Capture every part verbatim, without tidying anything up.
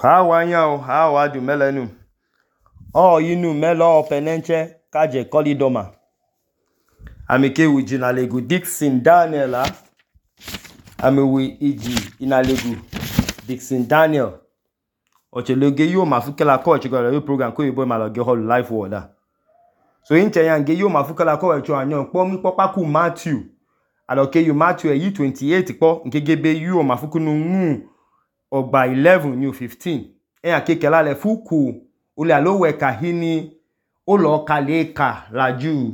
Hawa nyao, hawa du melenu. O yinu melo openenche kaje kolidoma. Amike wiji na legu Dixon Daniel. Ame wi iji inalegu Dixon Daniel. Oche loge yo mafuke la ko chiko yo program ko yibo ma loge hall life word. So inche yange yo mafuke la ko echo anyo po mi popa ku Matthew. Aloke you Matthew e twenty-eight po nkegebe yo mafuku nu mu ogba eleven new fifteen. E akeke la le fuku ule alowe kahini olo kaleka la Jew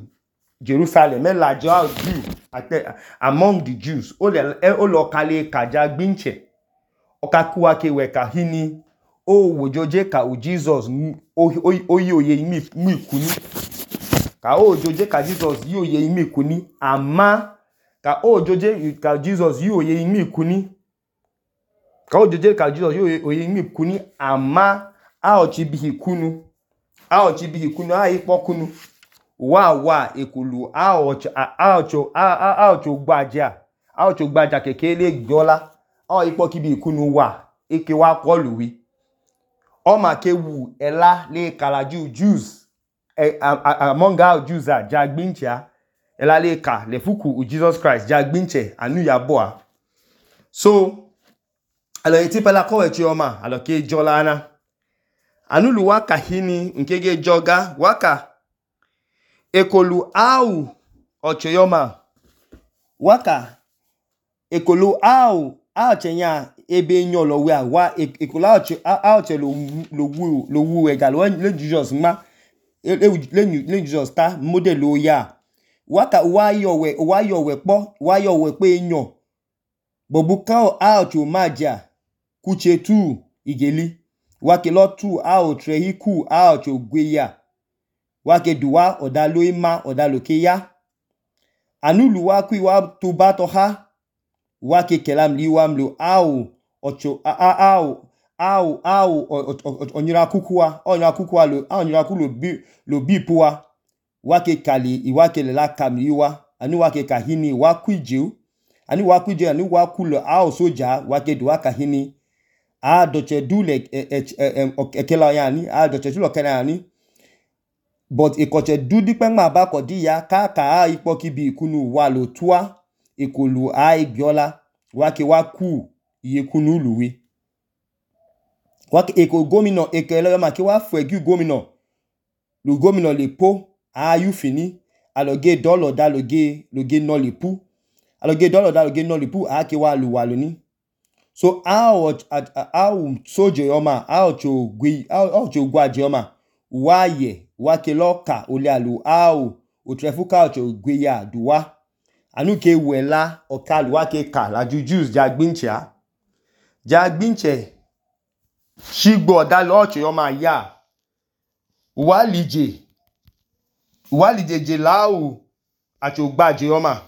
Jerusalem e la Jew among the Jews ole olo kaleka jagbinche okakuwa ke we kahini o wojoje ka o Jesus oyi oye imi mi kuni ka o joje ka Jesus yi oye imi kuni ama ka o joje ka Jesus yi oye imi kuni ka o joje ka Jesus yi oye imi kuni ama a ochi bihi kunu a ochi bihi kunu a ipo kunu wa wa ekulu a ochi a ocho a a ocho gbaja a ocho gbaja kekele gbola a ipo kibi kunu wa eke wa koluwi o ma ke wu ela le kalaju Jews eh, among our Jews are jagbincha ela le ka le fuku u Jesus Christ jagbinche anu ya boa. So alo eti pela ko echi oma alo ke jolana anu lu waka hini nkege joga waka ekolu au ochoyoma waka ekolu au a chenya ebe nyo lo we wa ekolu a che lo lo wu lo wu ega lo le Jesus ma le le Jesus ta model o ya waka wa yo we wa yo we po wa yo we pe nyo bobuka a cho maja kuche tu igeli wake lo tu a o trehiku a cho gweya wake duwa odalo ima odalo ke ya anulu wa ku wa to bato ha wake kelam liwa mlo au ocho a au au au onyira kukuwa onyira kukuwa lo onyira ku lo bi lo bi puwa wake kali iwake le la kamliwa anu wake kahini wa kwiju anu wa kwiju anu wa ku lo au soja wake duwa kahini a doche dule ekela yani a doche dule kana yani but ekoche dudi pe ma ba ko di ya ka ka ipo kibi kunu wa lo tua ekolu a igbola wake wa ku iye kunu luwi wake eko gomino ekele ma ki wa fegu gomino lu gomino le po a yu fini aloge dolo da loge loge no le pu aloge dolo da loge no le pu a ki wa lu wa lo ni so how how soje yoma how cho gwi how cho gwaje yoma waye wake loka ole alu how o trefuka cho gwi ya duwa anu ke wela okalu wake ka la Jews jagbincha jagbinche shigbo da lo cho yoma ya walije walije je lao acho gbaje yoma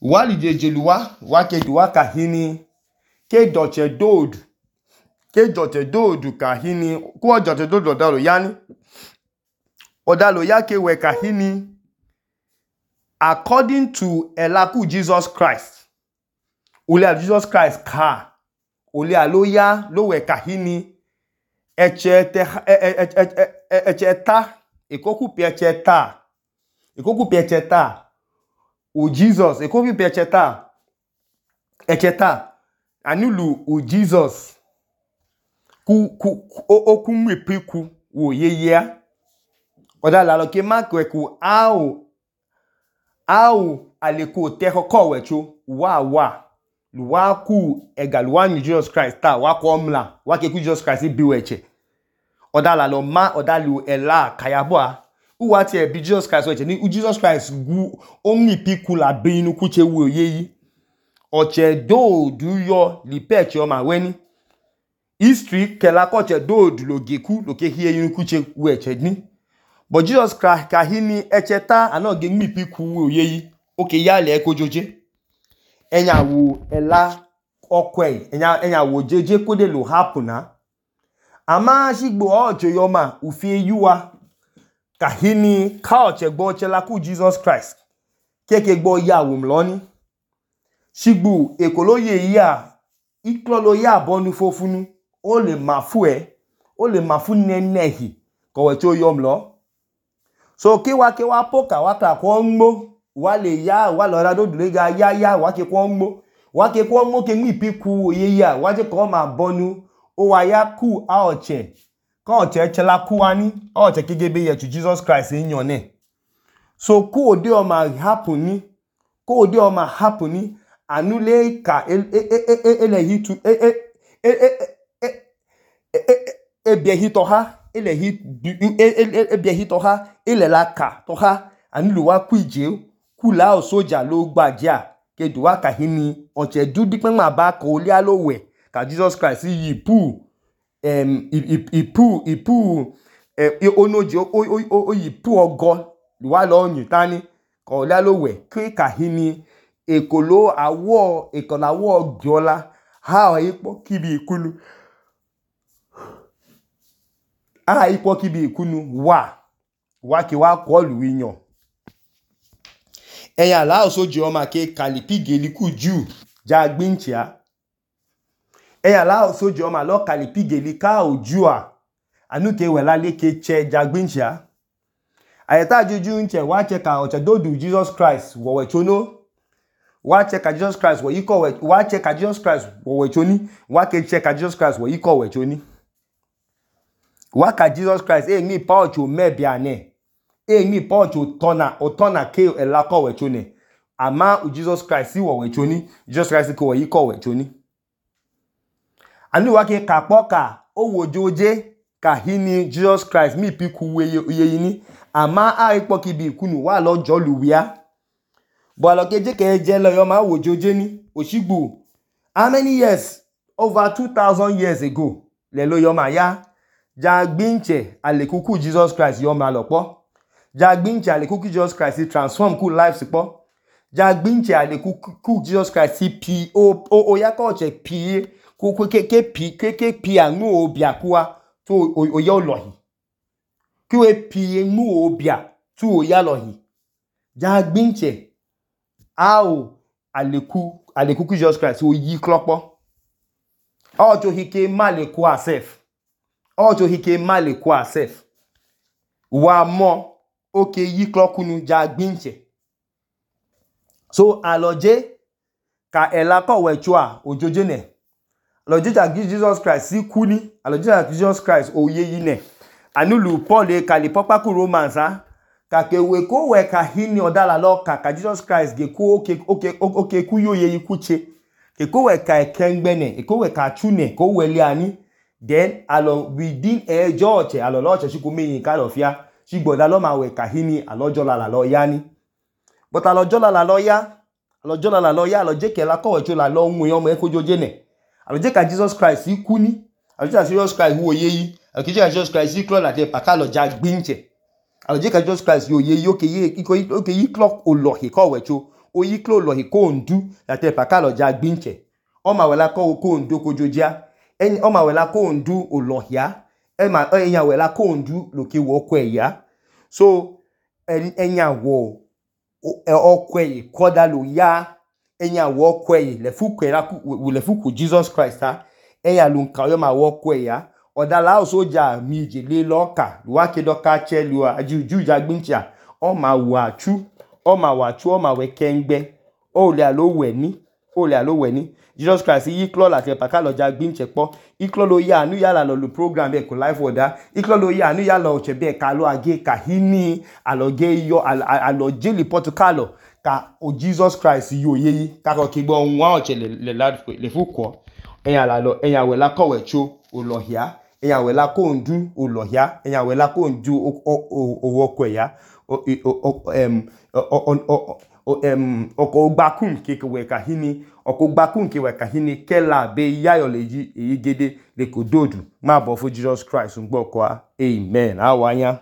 walije je luwa wake duwa kahini ke doche dod ke doche dod kahini ku doche dod odalo yani odalo yake we kahini according to elaku Jesus Christ ule Jesus Christ ka ule aloya lo we kahini eche te eche ta ekoku pi eche ta ekoku pi eche ta o Jesus ekoku pi eche ta eche ta anulu o Jesus ku ku oku mwepiku wo yeye odala lo ke makwe ku au au aleko te ko wecho wa wa luwa ku egaluwa ni Jesus Christ ta wa ko mla wa ke ku Jesus Christ bi weche odala lo ma odalu ela kayabwa uwa ti e bi Jesus Christ weche ni Jesus Christ gu omni piku la be inu kuche wo yeyi oche do du yo li peche o ma weni history kela ko che do du lo geku lo ke hie inu kuche weche ni but Jesus Christ kahini echeta anoge mi piku wo yeyi oke ya le ko joje enya wo ela okwe enya enya wo jeje ko de lo hapuna ama shigbo ojo yoma ufie yuwa kahini ka oche gbo oche la ku Jesus Christ keke gbo ya wo mloni shigbo ekoloye ya iklolo ya bonu fofunu o le mafu e o le mafu nenehi kowecho yomlo so ki wa ke wa poka wa ka ko nmo wa le ya wa lo ra do dule ga ya ya wa ke ko nmo wa ke ko nmo ke mi piku ye ya wa je ko ma bonu o wa ya ku a oche ko oche chela ku ani oche kegebe ye to Jesus Christ yan ne so ku ode o ma happen ni ku ode o ma happen ni anule ka ele hitu e e e e e bie hito ha ele hit e bie hito ha ele la ka to ha anulu wa ku ije ku la o soja lo gbaja ke du wa ka hini oche du di pe ma ba ko le alowe ka Jesus Christ yi pu em ipu ipu e onoje o yi pu ogo wa lo yin tani ko le alowe ki ka hini ekolo awo ekola awo gbiola ha o ipo kibi ikunu ha ipo kibi ikunu wa wa ki wa ko lu yan eya la o soje o ma ke kalipigeli ku ju ja gbinchia eya la o soje o ma lo kalipigeli ka oju a anu ke wela le ke che ja gbinchia ayeta juju nche wa che ka o che dodu Jesus Christ wo we chono wa che ka Jesus Christ wo yiko we wa che ka Jesus Christ wo we choni wa ke che ka Jesus Christ wo yiko we choni wa ka Jesus Christ e ni pa ocho mebia ne e ni pa ocho tona o tona ke e la ko we choni ama u Jesus Christ wo we choni Jesus Christ ko we yiko we choni anu wa ke ka poka o wojoje ka hini Jesus Christ mi piku we ye ni ama a ipo ki bi ikunu wa lo joluwia bo lo keje ke je lo yo ma wojoje ni osigbu how many years over two thousand years ago le lo yo ma ya ja gbinche alekuku Jesus Christ yo ma lopo ja gbinche alekuku Jesus Christ transform ku life sipo ja gbinche alekuku Jesus Christ pi o o ya ko che pi ku ku ke ke pi ke ke pi anu obia kuwa to o yo lohi ki we pi enu obia tu o ya lohi ja gbinche ao aleku alekuku Jesus Christ o yi klopo o to hike maleku asef o to hike maleku asef wa mo oke yi klokunu ja gbinche so aloje ka ela ko we chua ojoje ne aloje ja Jesus Christ si kuni aloje ja Jesus Christ o ye yi ne anulu Paul e kali papa ku Romans ha ka ke we ko we ka hini odala lo ka ka Jesus Christ ge ko oke oke oke ku yo ye ikuche ke ko we ka ekengbe ne e ko we ka chune ko we le ani then alo within a george alo lo che siku meyin ka lo fia si gboda lo ma we ka hini alojo la lo ya ni but alojo la lo ya alojo la lo ya aloje ke la ko we chu la lo nwu yo mo e ko joje ne aloje ka Jesus Christ ikuni aloje ka Jesus Christ wo ye yi aloje ka Jesus Christ iklo la te paka lo ja gbinche aloje ka Jesus Christ yo ye yo ke ye iko oke yi clock o lo he ko we chu o yi klo lo he ko ndu la te paka lo ja gbinche o ma we la ko ko ndu ko jojia en o ma we la ko ndu o lo ya e ma enya we la ko ndu lo ke wo ko ya so enya wo o ko e koda lo ya enya wo ko e le fu ko la ku le fu ku Jesus Christ ha enya lu nka yo ma wo ko ya odala o soja mi je le loka wa ke do ka chelu ajuju jagbincha o ma wa chu o ma wa chu o ma we kengbe o le alo we ni o le alo we ni Jesus Christ yi klo la te paka lo jagbinche po iklo lo ya anu ya la lo program be ko life order iklo lo ya anu ya lo che be ka lo age ka hini aloge yo alo jeli portugal ka o Jesus Christ yo ye ka ko ki gbo nwa o che le la le fu ko eyan la lo eyan we la ko we chu o lo hia eyan we la ko ndu o lo hia eyan we la ko ndu o wo ko ya o em o em oko gbakun ke we ka hini oko gbakun ke we ka hini kela be yayo leji eyigede le ko dodu ma bo fu Jesus Christ ngbo ko amen awanya.